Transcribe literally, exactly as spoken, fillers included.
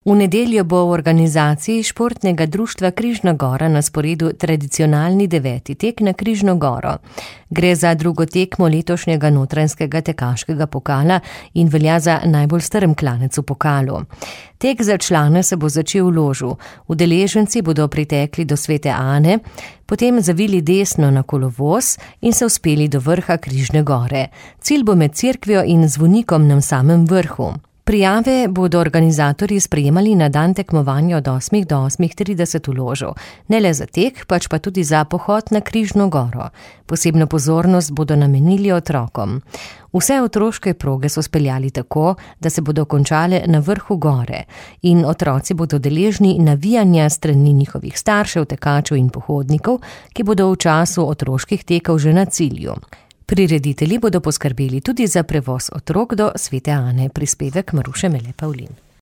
V nedeljo bo v organizaciji športnega društva Križna gora na sporedu tradicionalni deveti tek na Križno goro. Gre za drugo tekmo letošnjega notranjskega tekaškega pokala in velja za najbolj strm klanec v pokalu. Tek za člane se bo začel v Ložu. Udeleženci bodo pritekli do Svete Ane, potem zavili desno na kolovoz in se uspeli do vrha Križne gore. Cilj bo med cerkvijo in zvonikom na samem vrhu. Prijave bodo organizatorji sprejemali na dan tekmovanja od osmih do osmih trideset v Ložu. Ne le za tek, pač pa tudi za pohod na Križno goro. Posebno pozornost bodo namenili otrokom. Vse otroške proge so speljali tako, da se bodo končale na vrhu gore in otroci bodo deležni navijanja strani njihovih staršev, tekačev in pohodnikov, ki bodo v času otroških tekov že na cilju. Prireditelji bodo poskrbeli tudi za prevoz otrok do Svete Ane, prispevek Maruše Mele Pavlin.